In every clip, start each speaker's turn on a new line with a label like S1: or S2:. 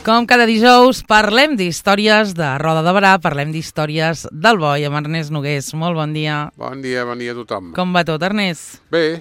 S1: Com cada dijous, parlem d'històries de Roda de Berà, parlem d'històries del Boi, amb Ernest Nogués. Molt bon dia.
S2: Bon dia a tothom.
S1: Com va tot, Ernest?
S2: Bé,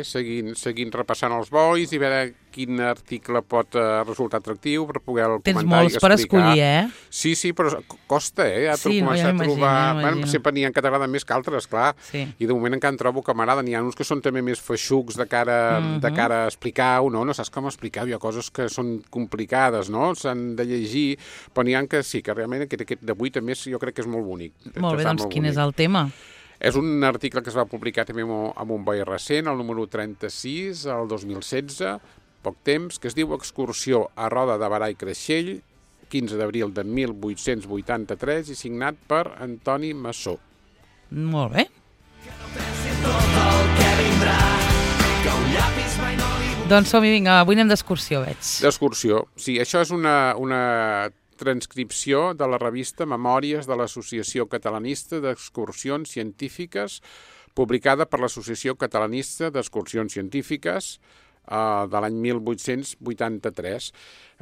S2: seguint repassant els bois i veure quin article pot resultar atractiu per poder-lo comentar i explicar.
S1: Tens molts per escollir, eh?
S2: Sí, però costa, ja
S1: sí,
S2: començar a trobar...
S1: Bueno,
S2: sempre n'hi ha que t'agraden més que altres, clar.
S1: Sí.
S2: I de moment encara en trobo que m'agraden. N'hi ha uns que són també més feixucs de cara a explicar-ho, no? No saps com explicar-ho. Hi ha coses que són complicades, no? S'han de llegir, però n'hi ha que sí, que realment aquest d'avui també jo crec que és molt bonic.
S1: Molt bé, doncs quin és el tema?
S2: És un article que es va publicar també amb un boi recent, el número 36, el 2016, poc temps, que es diu Excursió a Roda de Berà i Creixell, 15 d'abril de 1883 i signat per Antoni Massó.
S1: Molt bé. Doncs som-hi, vinga, avui anem d'excursió, veig.
S2: D'excursió, sí, això és una transcripció de la revista Memòries de l'Associació Catalanista d'Excursions Científiques, publicada per l'Associació Catalanista d'Excursions Científiques de l'any 1883.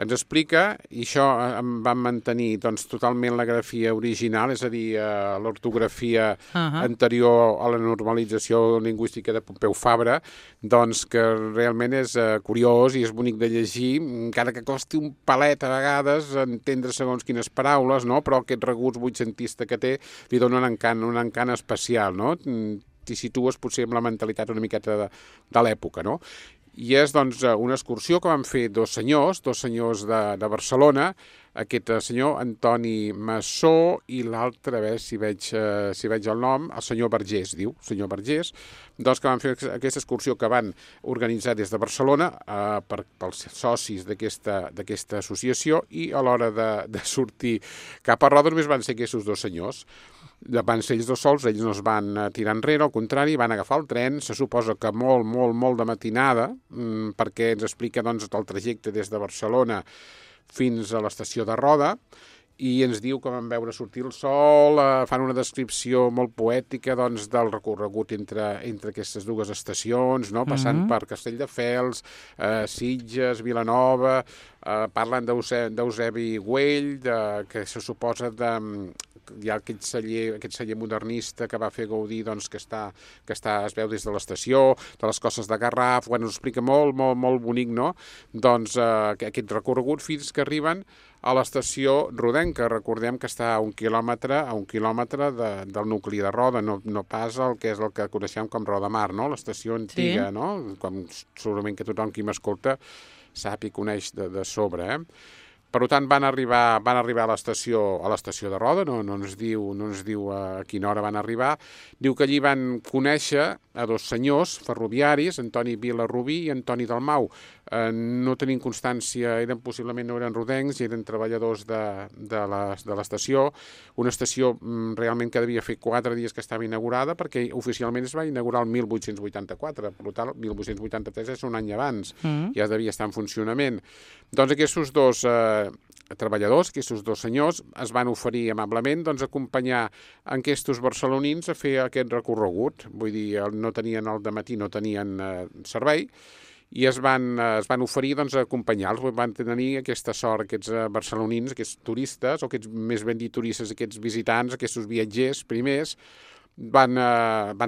S2: Ens explica, i això vam mantenir totalment la grafia original, és a dir, l'ortografia anterior a la normalització lingüística de Pompeu Fabra, doncs que realment és curiós i és bonic de llegir, encara que costi un palet a vegades entendre segons quines paraules, no? Però aquest regust vuitcentista que té li dona un encant especial, no? T'hi situes potser amb la mentalitat una miqueta de l'època, no? I és doncs una excursió que van fer dos senyors de Barcelona, aquest senyor Antoni Massó i l'altre, a veure si veig el nom, el senyor Vergés, diu, senyor Vergés, doncs que van fer aquesta excursió que van organitzar des de Barcelona pels socis d'aquesta associació, i a l'hora de sortir cap a Roda només van ser aquests dos senyors. Van ser ells dos sols, ells no es van tirar enrere, al contrari, van agafar el tren, se suposa que molt de matinada, perquè ens explica doncs, el trajecte des de Barcelona fins a l'estació de Roda, i ens diu que van veure sortir el sol, fan una descripció molt poètica doncs, del recorregut entre aquestes dues estacions, no? Passant per Castelldefels, Sitges, Vilanova, parlen d'Eusebi Güell, que se suposa hi ha aquest celler modernista que va fer Gaudí, doncs, que es veu des de l'estació, de les Cosses de Garraf, ens explica molt bonic, no? Doncs aquest recorregut fins que arriben a l'estació rodenca. Recordem que està a un quilòmetre del nucli de Roda, no pas el que és el que coneixem com Roda Mar, no? L'estació antiga, sí. No? Com segurament que tothom qui m'escolta sap i coneix de sobre, Per tant, van arribar a l'estació de Roda, no ens diu a quina hora van arribar. Diu que allí van conèixer a dos senyors ferroviaris, Antoni Vilarrubí i Antoni Dalmau. No tenim constància, possiblement no eren rodencs, eren treballadors de l'estació, una estació realment que devia fer 4 dies que estava inaugurada, perquè oficialment es va inaugurar el 1884, per tant, el 1883 és un any abans, ja devia estar en funcionament. Doncs aquests dos treballadors, aquests dos senyors, es van oferir amablement acompanyar aquests barcelonins a fer aquest recorregut. Vull dir, no tenien el dematí, no tenien servei, i es van oferir acompanyar-los. Van tenir aquesta sort, aquests barcelonins, aquests turistes, o aquests, més ben dit, turistes, aquests visitants, aquests viatgers primers, van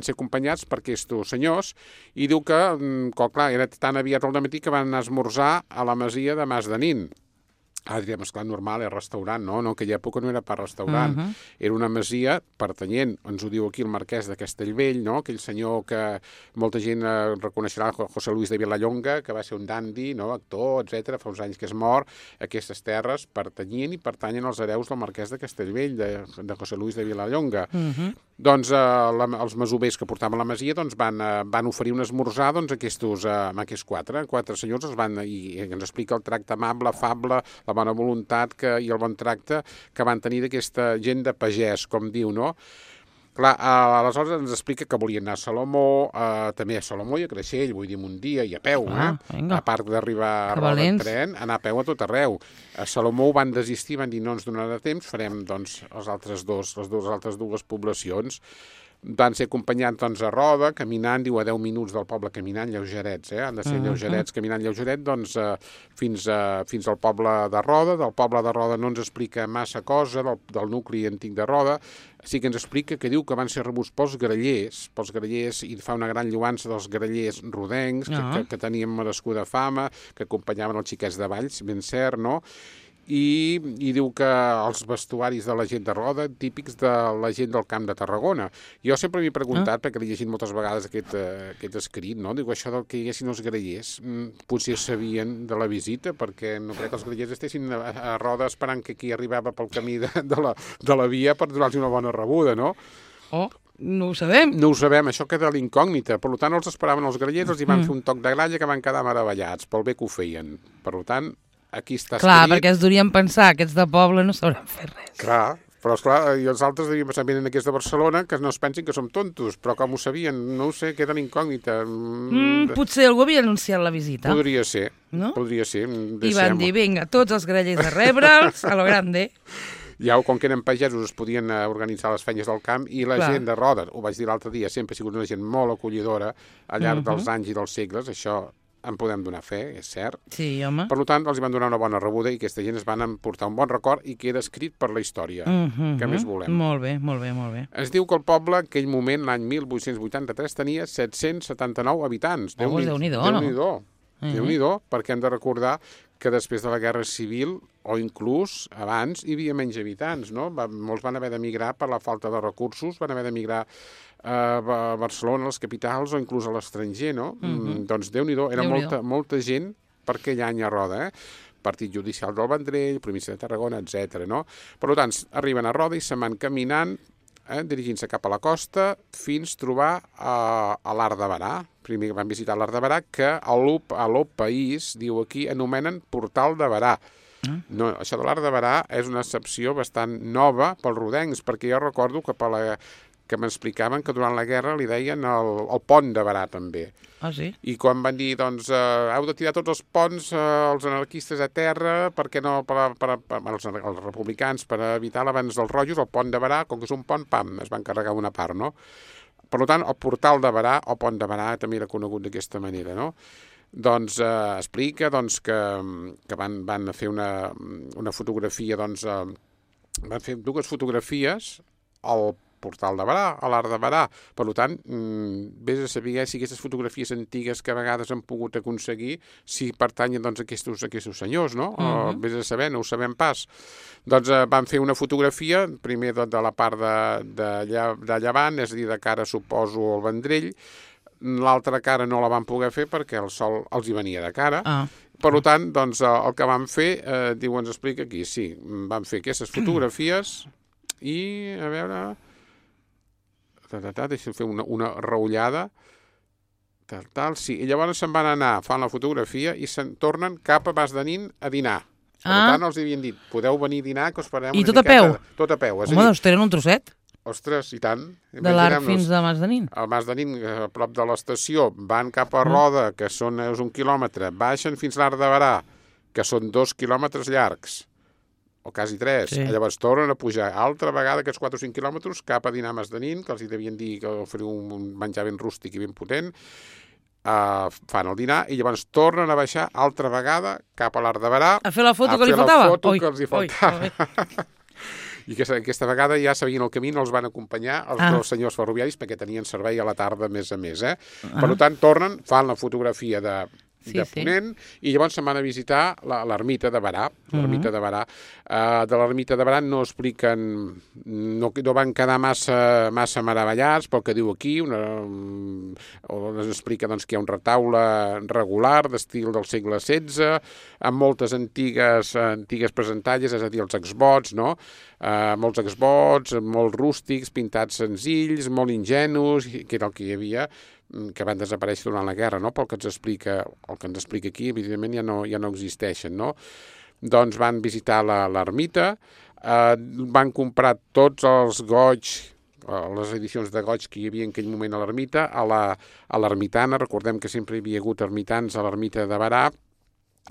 S2: ser acompanyats per aquests senyors, i diu que clar, era tan aviat al dematí que van anar a esmorzar a la masia de Mas de Nin. Diríem, esclar, normal, és restaurant, no? En aquella època no era per restaurant. Era una masia pertanyent, ens ho diu aquí el marquès de Castellvell, no? Aquell senyor que molta gent reconeixerà, José Luis de Vilallonga, que va ser un dandi, no? Actor, etc. Fa uns anys que és mort. Aquestes terres pertanyen als hereus del marquès de Castellvell, de José Luis de Vilallonga. Doncs els masovers que portaven la masia van oferir un esmorzar a aquests quatre senyors, i ens explica el tracte amable, afable, la bona voluntat i el bon tracte que van tenir d'aquesta gent de pagès, com diu, no? Clar, aleshores ens explica que volien anar a Salomó, també a Salomó i a Creixell, vull dir, un dia, i a peu, a part d'arribar a Roda en tren, anar a peu a tot arreu. A Salomó ho van desistir, van dir no ens donarà temps, farem doncs les altres dues poblacions. van ser acompanyats a roda, caminant, diu, a 10 minuts del poble caminant, lleugerets, han de ser lleugerets, caminant lleugeret, fins al poble de Roda. Del poble de Roda no ens explica massa cosa, del nucli antic de Roda. Sí que ens explica que diu que van ser rebuts pels grallers, i fa una gran lloança dels grallers rodencs, que tenien merescuda fama, que acompanyaven els xiquets de Valls, ben cert, no? I diu que els vestuaris de la gent de Roda, típics de la gent del Camp de Tarragona. Jo sempre m'he preguntat, perquè l'he llegit moltes vegades aquest escrit, no? Diu, això del que hi haguessin els grallers, potser sabien de la visita, perquè no crec que els grallers estessin a Roda esperant que qui arribava pel camí de la via per donar-los una bona rebuda, no?
S1: Oh, no ho sabem.
S2: No ho sabem, això queda l'incògnita. Per tant, els esperaven els grallers, els hi van fer un toc de gralla que van quedar meravellats pel bé que ho feien. Per tant, aquí està escrit...
S1: Clar, perquè es durien pensar, aquests de poble no sabran fer res.
S2: Clar, però esclar, i els altres devien pensar, venen aquests de Barcelona, que no es pensin que som tontos, però com ho sabien, no ho sé, queda incògnita.
S1: Potser algú havia anunciat la visita.
S2: Podria ser,
S1: no?
S2: Podria ser.
S1: I van dir, vinga, tots els grallers a rebre'ls, a lo grande.
S2: Ja, com que eren pagesos, es podien organitzar les feines del camp, i la gent de Roda, ho vaig dir l'altre dia, sempre ha sigut una gent molt acollidora al llarg dels anys i dels segles, això en podem donar fe, és cert.
S1: Sí, home.
S2: Per tant, els van donar una bona rebuda i aquesta gent es van emportar un bon record i queda escrit per la història. Què més volem?
S1: Molt bé, molt bé, molt bé.
S2: Es diu que el poble, en aquell moment, l'any 1883, tenia 779 habitants.
S1: Déu-n'hi-do, no?
S2: Déu-n'hi-do, perquè hem de recordar que després de la Guerra Civil, o inclús abans, hi havia menys habitants, no? Molts van haver d'emigrar per la falta de recursos, van haver d'emigrar a Barcelona, a les capitals, o inclús a l'estranger, no? Doncs Déu-n'hi-do, era molta gent per aquell any a Roda, Partit Judicial del Vendrell, Província de Tarragona, etc. No? Per tant, arriben a Roda i se'n van caminant, dirigint-se cap a la costa, fins a trobar a l'Arc de Berà. Primer van visitar l'Arc de Berà, que a l'Op País, diu aquí, anomenen Portal de Berà. No, això de l'Arc de Berà és una excepció bastant nova pels rodencs, perquè jo recordo que m'explicaven que durant la guerra li deien el pont de Berà, també.
S1: Ah, sí?
S2: I quan van dir, doncs, heu de tirar tots els ponts, els anarquistes a terra, perquè no, els republicans, per evitar l'avanç dels rojos, el pont de Berà, com que és un pont, pam, es van carregar una part, no? Per tant, el portal de Berà, o pont de Berà, també era conegut d'aquesta manera, no? Doncs explica que van fer una fotografia, doncs, van fer dues fotografies al portal de Berà, a l'Arc de Berà. Per tant, vés a saber si aquestes fotografies antigues que a vegades han pogut aconseguir, si pertanyen doncs, a aquests senyors, no? Vés a saber, no ho sabem pas. Doncs van fer una fotografia, primer de la part de llevant, és a dir, de cara, suposo, al Vendrell. L'altra cara no la van poder fer perquè el sol els hi venia de cara. Per tant, doncs, el que van fer, diu, ens explica aquí, sí, van fer aquestes fotografies i, a veure... deixa'm fer una reullada, sí, i llavors se'n van anar, fan la fotografia i se'n tornen cap a Mas de Nin a dinar. Per tant, els havien dit, podeu venir a dinar, que us farem una miqueta... I
S1: tot a peu?
S2: Tot a peu.
S1: Home, doncs tenen un trosset.
S2: Ostres, i tant.
S1: De l'Arc fins a Mas de Nin.
S2: Al Mas de Nin, a prop de l'estació, van cap a Roda, que és 1 quilòmetre, baixen fins a l'Arc de Berà, que són 2 quilòmetres llargs, o quasi 3. Sí. Llavors tornen a pujar altra vegada aquests 4 o 5 quilòmetres cap a dinar a Mas de Nin, que els hi devien dir que oferiu un menjar ben rústic i ben potent, fan el dinar i llavors tornen a baixar altra vegada cap a l'Arc de Berà
S1: a fer la foto que li faltava.
S2: A fer la foto que els hi faltava. I aquesta vegada ja sabien el camí, no els van acompanyar els dos senyors ferroviaris perquè tenien servei a la tarda a més. Per tant, tornen, fan la fotografia de Ponent, i llavors se'n van a visitar l'ermita de Berà. L'ermita de Berà. De l'ermita de Berà no expliquen, no van quedar massa meravellats pel que diu aquí, es explica doncs, que hi ha un retaule regular d'estil del segle XVI, amb moltes antigues presentalles, és a dir, els exvots, no? Molts exvots, molt rústics, pintats senzills, molt ingenus, que era el que hi havia, que van desaparèixer durant la guerra, no? Pel que ens explica, el que ens explica aquí, evidentment ja no existeixen, no? Doncs van visitar l'ermita, van comprar tots els goigs, les edicions de goig que hi havia en aquell moment a l'ermita, a l'ermitana, recordem que sempre hi havia hagut ermitans a l'ermita de Berà,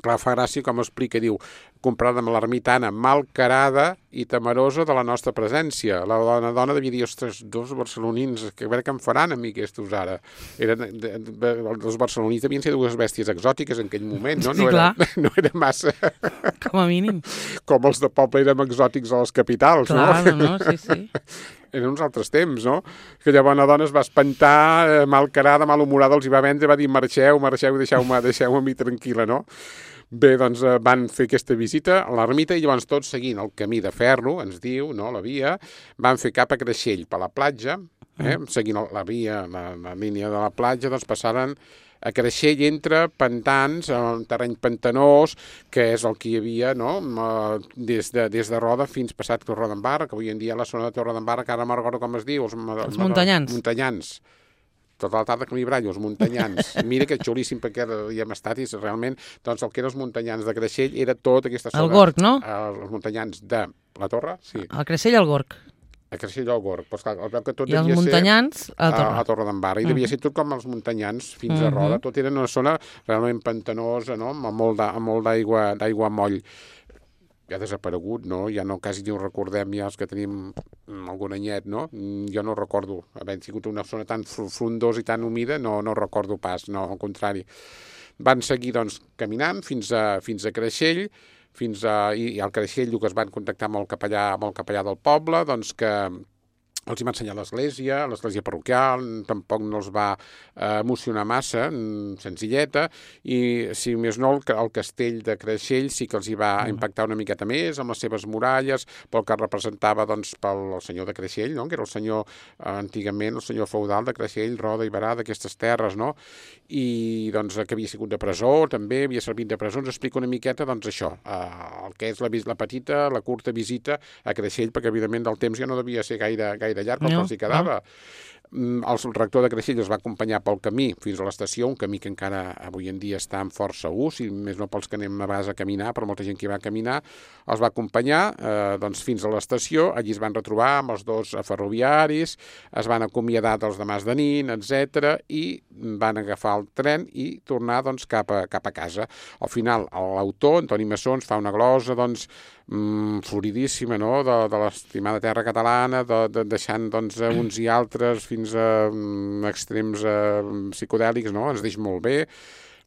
S2: Clar, fa gràcia com explica, diu, comprada amb l'ermitana malcarada i temerosa de la nostra presència. La dona devia dir, ostres, dos barcelonins, que a veure què em faran a mi aquestos ara. Els barcelonins devien ser dues bèsties exòtiques en aquell moment, no?
S1: Sí, clar.
S2: No era massa...
S1: Com a mínim.
S2: Com els de poble érem exòtics a les capitals, no?
S1: Clar, no, sí.
S2: Eren uns altres temps, no? Que llavors la dona es va espantar, malcarada, malhumorada, els hi va vendre, va dir marxeu, deixeu-me a mi tranquil·la, no? Bé, doncs van fer aquesta visita a l'ermita i llavors tots seguint el camí de ferro, ens diu, no, la via, van fer cap a Creixell per la platja, seguint la via, la línia de la platja, doncs passaren a Creixell entre pantans, un terreny pantanós, que és el que hi havia, no?, des de Roda fins passat Torredembarra, que avui en dia la zona de Torredembarra, que ara me'n recordo com es diu. Els
S1: Muntanyans.
S2: Muntanyans. Tota la tarda que m'hi brallo, els Muntanyans. Mira que xulíssim, perquè hi hem estat i realment, doncs el que eren els Muntanyans de Creixell era tota aquesta zona.
S1: El Gorg, no?
S2: Els Muntanyans de la Torre, sí.
S1: El Creixell al Gorg.
S2: A Creixell al Gorg. Pues clar, que tot
S1: I els Muntanyans a Torre.
S2: A Torredembarra. I devia ser tot com els Muntanyans fins a Roda. Tot era una zona realment pantanosa, no?, amb molt d'aigua moll. Ja ha desaparegut, no? Ja no, quasi ni ho recordem, ja els que tenim algun anyet, no? Jo no recordo haver sigut una zona tan frondosa i tan humida, no recordo pas, no, al contrari. Van seguir, doncs, caminant fins a Creixell, i al Creixell que es van contactar amb el capellà del poble, doncs que els hi va ensenyar l'església parroquial, tampoc no els va emocionar massa, senzilleta, i si més no, el castell de Creixell sí que els hi va impactar una miqueta més, amb les seves muralles, pel que representava, doncs, pel senyor de Creixell, no?, que era el senyor, antigament, el senyor feudal de Creixell, Roda i Berà, d'aquestes terres, no?, i, doncs, que havia sigut de presó, també, havia servit de presó, ens explica una miqueta, doncs, això, el que és la curta visita a Creixell, perquè, evidentment, del temps ja no devia ser gaire llarg, com els hi quedava. El rector de Creixell els va acompanyar pel camí fins a l'estació, un camí que encara avui en dia està en força ús, i més no pels que anem a vegades a caminar, però molta gent que va caminar, els va acompanyar doncs, fins a l'estació. Allí es van retrobar amb els dos ferroviaris, es van acomiadar dels demàs de Nin, etc., i van agafar el tren i tornar, doncs, cap a casa. Al final, l'autor, Antoni Massó, ens fa una glosa, doncs, floridíssima, no?, de l'estimada terra catalana, deixant, doncs, uns i altres fins a extrems psicodèlics, no?, ens deix molt bé,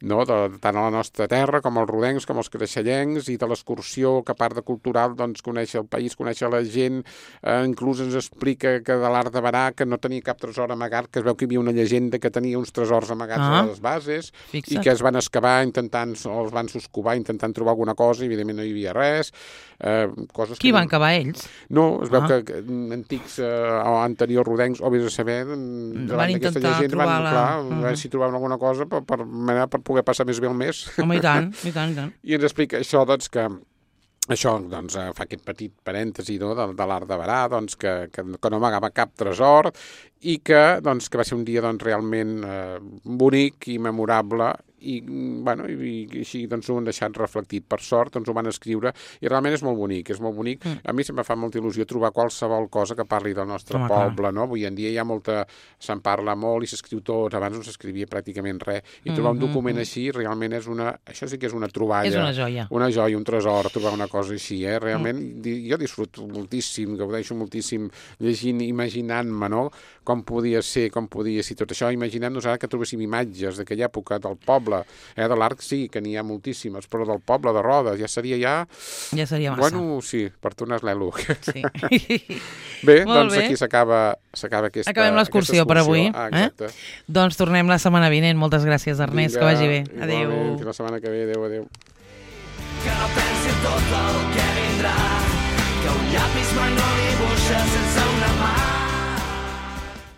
S2: no?, tant a la nostra terra com als rodencs, com als creixellencs, i de l'excursió, que a part de cultural, doncs, conèixer el país, conèixer la gent, inclús ens explica que de l'Arc de Berà, que no tenia cap tresor amagat, que es veu que hi havia una llegenda que tenia uns tresors amagats a les bases, i que es van excavar els van soscovar intentant trobar alguna cosa, i evidentment no hi havia res.
S1: Qui van cavar ells?
S2: No, es veu que antics o anteriors rodencs, o vés a saber,
S1: van intentar trobar
S2: a veure si trobaven alguna cosa per poder passar més bé el mes.
S1: Home, i tant.
S2: I ens explica això, doncs, que això, doncs, fa aquest petit parèntesi, no?, de l'Arc de Berà, doncs, que no amagava cap tresor, i que va ser un dia, doncs, realment bonic i memorable, i així, doncs, ho han deixat reflectit. Per sort, doncs, ho van escriure, i realment és molt bonic, A mi sempre fa molta il·lusió trobar qualsevol cosa que parli del nostre poble, no? Avui en dia hi ha se'n parla molt i s'escriu tot, abans no s'escrivia pràcticament res, i trobar un document així realment això sí que és una troballa.
S1: És una joia.
S2: Una joia, un tresor, trobar una cosa així, Realment, jo disfruto moltíssim, gaudeixo moltíssim llegint, imaginant-me, no?, com podia ser tot això, imaginem-nos ara que trobéssim imatges d'aquella època del poble, de l'Arc sí, que n'hi ha moltíssimes, però del poble de Roda ja seria
S1: massa.
S2: Bueno, sí, per tornar l'elo.
S1: Sí.
S2: Bé, doncs aquí s'acaba aquesta...
S1: Acabem l'excursió per avui.
S2: Exacte.
S1: Doncs tornem la setmana vinent. Moltes gràcies, Ernest, que vagi bé. Adéu.
S2: Fins la setmana que ve. Adéu.
S3: Que no pensi tot el que vindrà, que un llapis mai no dibuixa sense